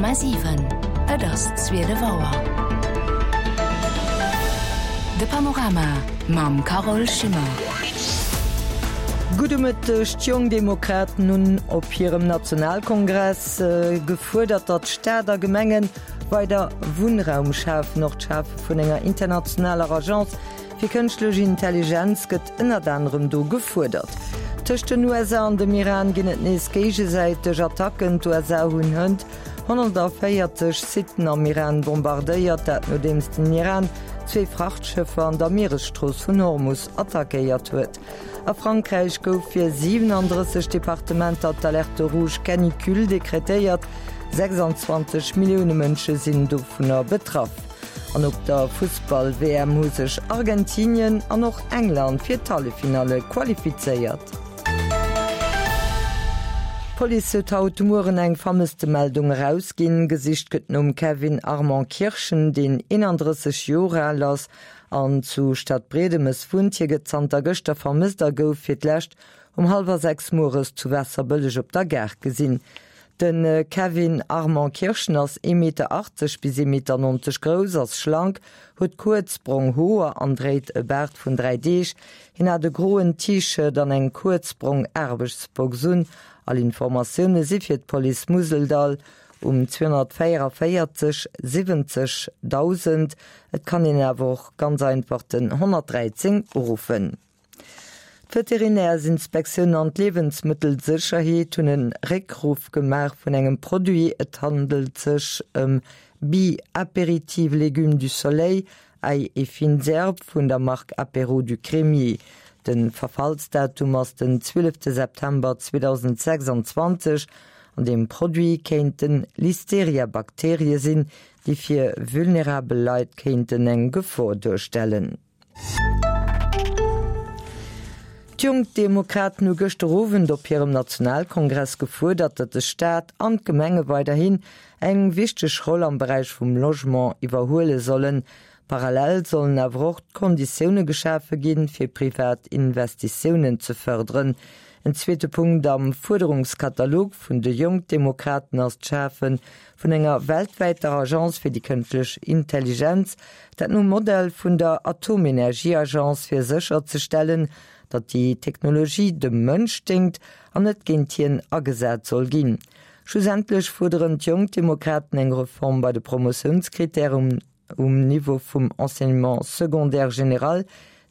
100,7 Et ass 12 Auer. De Panorama mam Carole Schimmer. Gudde Mëtteg. D'Jong Demokraten hunn op hirem Nationalkongress gefuerdert, datt Staat a Gemengen weider Wunnraum schafen. Och d'Schafe vun enger internationaler Agence Fir kënschtlech Intelligenz gëtt ënnert anerem do gefuerdert. Tëscht den USA an dem Iran ginn et nees géigesäiteg Attacken. D'USA hunn hënt 140 Sitten am Iran bombardéiert, dat nodeems den Iran zwee Frachtschëffer an der Mieresstrooss vun Hormus attackéiert huet. A Frankräich gouf fir 37 Departementer d'Alerte rouge canicule dekretéiert. 26 Millioune Mënsche sinn dovunner betraff. An op der Fussball-WM hu sech Argentinien an och England fir d'Halleffinalle qualifizéiert. D'Police huet haut de Mueren eng Vermësstemeldung erausginn. Gesicht gëtt nom Kevin Armand Kirchen, deen 31 Joer al ass an zu Stadbriedemes wunnt. Hie gëtt zanter gëschter vermësst a gouf fir d'lescht um hallwer 6 mueres zu Waasserbëlleg op der Gare gesinn. De Kevin Armand Kirchen ass ee Meter 80 bis ee Meter 90 grouss, ass schlank, huet kuerz brong Hoer an dréit e Baart vun 3 Deeg. Hien hat e groen T-Shirt an eng kuerz brong Aarbechtsbox un. All Informatioune si fir d'Police Museldall um 244 70 1000. Et kann een awer och ganz einfach den 113 uruffen. D'Veterinärsinspektioun an d'Liewensmëttelsécherheet hunn e Réckruff gemaach vun engem Produit. Et handelt sech ëm Bi Apéritive Légumes du Soleil, Ail et fines herbes vun der Mark Apéro du Crémier. De Verfallsdatum ass den 12 September 2026. An deem Produit kéinte Listeria-Bakterie sinn, déi fir vulnerabel Leit kéinten eng Gefor duerstellen. D'Jonk Demokraten hu gëschter Owend op hirem Nationalkongress gefuerdert, datt de Staat an d'Gemenge weiderhin eng wichteg Roll am Beräich vum Logement iwwerhuele sollen. Parallel sollen awer och d'Konditioune geschafe ginn, fir privat Investitiounen ze fërderen. En zweete Punkt am Fuerderungskatalog vun de Jonk Demokraten ass d'Schafe vun enger weltwäiter Agence fir déi kënschtlech Intelligenz, dat nom Modell vun der Atomenergieagence, fir sécherzestellen, datt déi Technologie dem Mënsch déngt an net géint hien agesat soll ginn. Schlussendlech fuerderen d'Jonk Demokraten eng Reform bei de Promotiounskrittären um Niveau vum Enseignement secondaire général.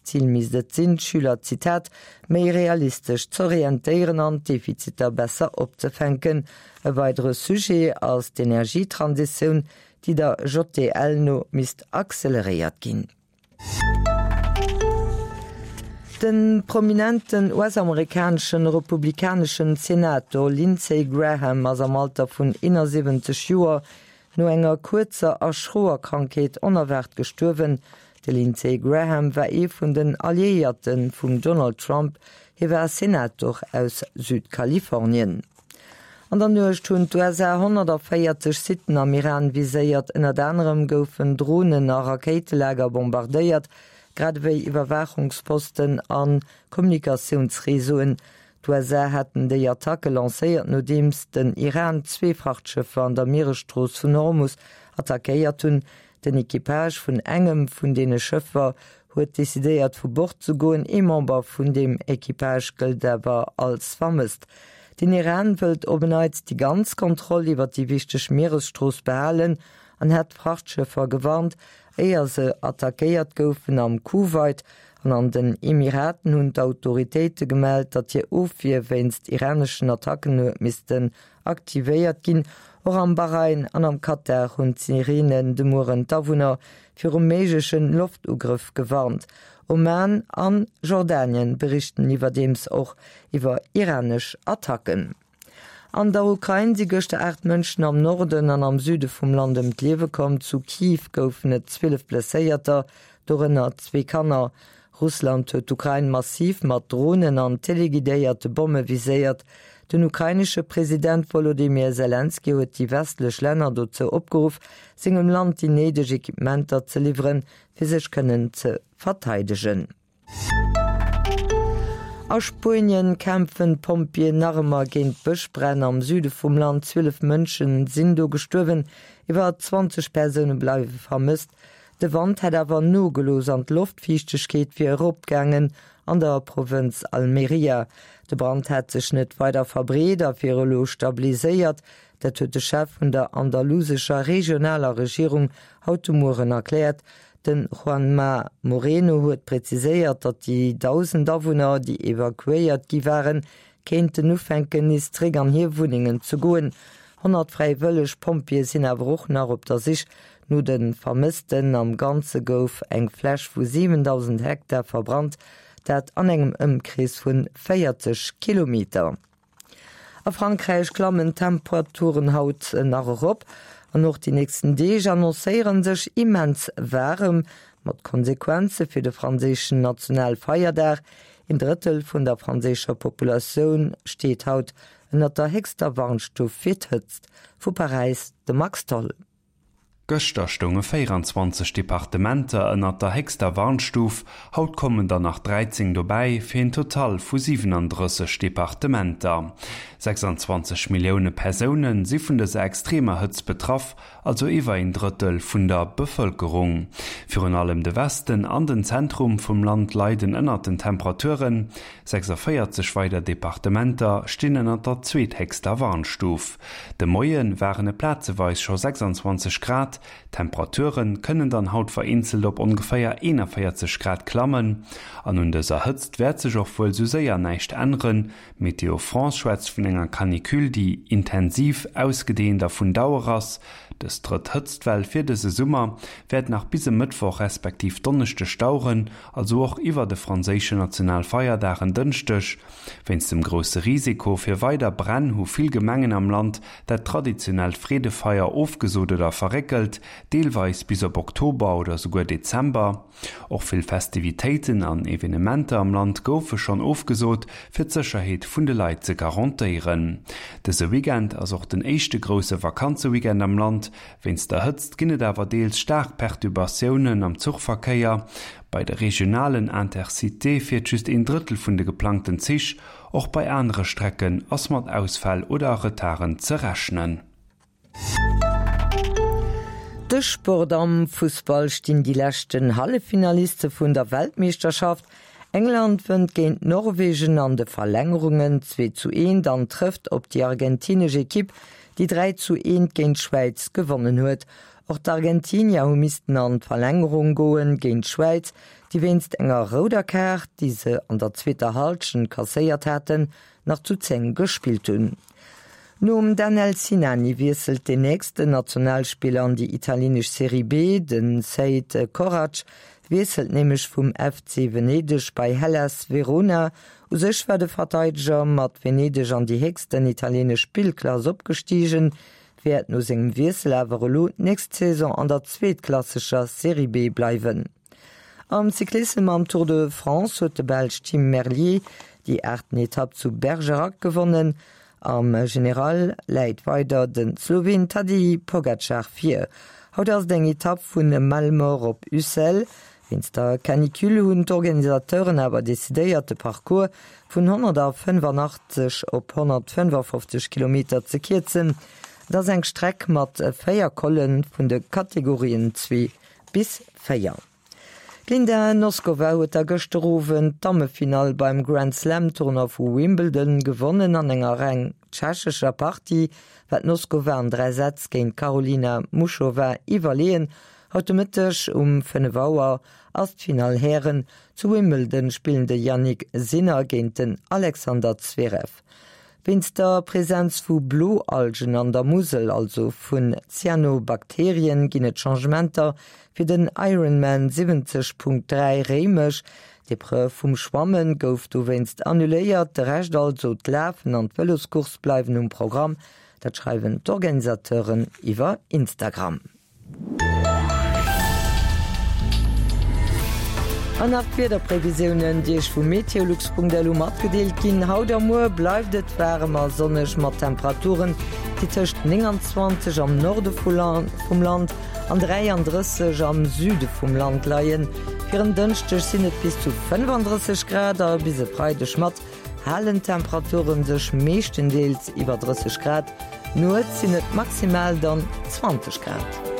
Zil misst et sinn, d'Schüler, Zitat, méi realistesch z'orientéieren an d'Defiziter besser opzefänken. E weidere Sujet ass d'Energietransitioun, déi der JDL no misst acceleréiert ginn. De prominenten US-amerikaneschen republikaneschen Senator Lindsey Graham ass am Alter vun 71 Joer no enger kuerzer a schroer Krankheet onerwaart gestuerwen. De Lindsey Graham war ee vun den Alliéierte vum Donald Trump, hie war Senator aus Südkalifornien. An der Nuecht hunn d'USA 140 Sitten am Iran viséiert. Ënnert anerem goufen Dronen a Rakéitelager bombardéiert, grad ewéi Iwwerwaachungsposten a Kommunikatiounsreseauen. D'USA haten déi Attacke lancéiert, nodeems den Iran zwee Frachtschëffer an der Mieresstrooss vun Hormus attackéiert hunn. Den Equipage vun engem vun deene Schëffer huet decidéiert vu Bord ze goen. Ee Member vun deem Equipage gëllt awer als vermësst. Den Iran wëllt op en Neits déi ganz Kontroll iwwer déi wichteg Mieresstrooss behalen an hat d'Frachtschëffer gewarnt, éier se attackéiert goufen. Am Kuwait an an den Emiraten hunn d'Autoritéite gemellt, datt hir Ofwier wéinst iraneschen Attacken huet missten aktivéiert ginn. Och am Bahrain an am Katar hunn d'Sireenen de Mueren d'Awunner viru méiglechen Loftugrëff gewarnt. Oman an Jordanien berichten iwwerdeems och iwwer iranesch Attacken. An der Ukrain si gëschter 8 Mënschen am Norden an am Süde vum Land ëm d'Liewe komm. Zu Kiew goufen et 12 Blesséierter, dorënner zwee Kanner. Russland huet d'Ukrain massiv mat Dronen an teleguidéierte Bomme viséiert. Den ukrainesche President Wolodymyr Selenskyj huet déi westlech Länner dozou opgeruff, sengem Land déi néideg Equipementer ze liwweren, fir sech kënnen ze verteidegen. A Spuenien kämpfen d'Pompjeeën nach ëmmer géint Bëschbränn am Süde vum Land. 12 Mënsche sinn do gestuerwen, iwwer 20 Persoune bleiwe vermësst. De Wand hätt awer nogelooss an d'Loftfiichtegkeet wier eropgaangen an der Provënz Almeria. De Brand hätt sech net weider verbreet a wier elo stabiliséiert. Dat huet de Chef vun der andalusescher regionaler Regierung haut de Mueren erkläert. De Juanma Moreno huet präziséiert, datt déi 1.000 Awunner, déi evakuéiert gi waren, kéinten ufänken, nees zeréck an hir Wunnengen ze goen. 100 fräiwëlleg Pompjeeë sinn awer och nach op der Sich no de Vermëssten. Am Ganze gouf eng Fläch vu 7.000 Hektar verbrannt, dat an engem Ëmkrees vu 40 Kilometer. A Frankräich klammen d'Temperaturen haut nach erop an och déi nächsten Deeg annoncéiere sech immens waarem, mat Konsequenze fir de franséischen Nationalfeierdag. Een Drëttel vun der franséischer Populatioun steet haut ënnert der héchster Warnstuf fir d'Hëtzt. Vu Paräis de Max Tholl. Gëschter stounge 24 Departementer ënnert der héchster Warnstuf, haut kommen der nach 13 dobäi, fir een Total vu 37 Departementer. 26 Millioune Persoune si vun dëser extremer Hëtzt betraff, also iwwer een Drëttel vun der Bevëlkerung. Virun allem de Westen an den Zentrum vum Land leiden ënnert den Temperaturen. 46 weider Departementer stinn ënnert der zweethéchster Warnstuf. De Moie waren et plazeweis scho 26 Grad, d'Temperature kënnen dann haut vereenzelt op ongeféier 41 Grad klammen. An un dëser Hëtzt wäert sech och wuel sou séier näischt änneren. Météo France schwätzt vun enger Canicule, déi intensiv, ausgedeent a vun Dauer ass. Dës drëtt Hëtztwell fir dëse Summer wäert nach bis e Mëttwoch respektiv Donneschdeg daueren, also och iwwer de franséische Nationalfeierdag en Dënschdeg. Wéinst dem grousse Risiko fir weider Bränn hu vill Gemengen am Land dat traditionellt Freedefeier ofgesot oder verréckelt, deelweis bis op Oktober oder souguer Dezember. Och vill Festivitéiten an Evenementer am Land goufe schonn ofgesot, fir d'Sécherheet vun de Leit ze garantéieren. Dëse Weekend ass och den éischte grousse Vakanzeweekend am Land. Wéinst der Hëtzt ginn et awer deels staark Perturbatiounen am Zuchverkéier. Bei de regionalen Intercitéë fiert just een Drëttel vun de geplangten Zich. Och bei anere Strecken ass mat Ausfäll oder Retarden ze rechnen. De Sport, Am Fussball stinn déi leschten Halleffinaliste vun der Weltmeeschterschaft. England wënnt géint Norwegen an de Verlängerungen 2 zu 1 an trëfft op déi argentinesch Ekipp, déi 3 zu 1 géint d'Schwäiz gewonnen huet. Och d'Argentinier hu missten an d'Verlängerung goen géint d'Schwäiz, déi wéinst enger rouder Kaart, déi se an der zweeter Hallschent kasséiert haten, nach zu 10 gespillt hunn. Nom Danel Sinani wiesselt den nächsten Nationalspiller an déi italienesch Serie B. De Seid Korac wiesselt nämlech vum FC Venedeg bei Hellas Verona. U sech war de Verteideger mat Venedeg an déi héchsten italienesch Spillklass opgestigen, wäert no sengem Wiessel awer elo d'nächst Saison an der zweetklassescher Serie B bleiwen. Am Cyclissem am Tour de France huet de Belsch Tim Merlier déi aachten Etapp zu Bergerac gewonnen. Am General läit weider de Sloween Tadej Pogacar vir. Haut ass et eng Etapp vu Malemort op Ussel. Wéinst der Canicule hunn d'Organisateuren awer decidéiert de Parcours vun 185 op 155 Kilometer ze kierzen. Et ass eng Streck mat 4 Colle vun de Kategorien 2 bis 4. D'Linda Noskova huet da gëschter Owend d'Dammefinall beim Grand Slam Tournoi vu Wimbledon gewonnen. An enger reng tschechescher Partie war d'Noskova an 3 Sätz géint d'Karolina Muchova iwwerleeën. Haut de Mëtteg um 5 Auer ass d'Finall Hären. Zu Wimbledon spillen de Jannik Sinner géint den Alexander Zverev. Wéinst der Presenz vu Bloalgen an der Musel, also vun Cyanobakterien, ginn et Changementer fir den Ironman 70.3 Réimech. D'Epreuve vum Schwamme gouf dowéinst annuléiert, de Rescht, also d'Lafen an d'Vëloscourse bleiwen um Programm. Dat schreiwen d'Organisateuren iwwer Instagram. An nach d'Wiederprevisiounen, déi Iech vu meteolux.lu matgedeelt ginn. Haut a muer bleift et waarem a sonneg mat Temperaturen, déi tëscht 29 am Norde vum Land an 33 am Süde vum Land leien. Fir en Dënschdeg sinn et bis zu 35 Grad a bis e Freideg mat halen d'Temperaturen sech meeschtendeels iwwer 30 Grad. Nuets sinn et maximal dann 20 Grad.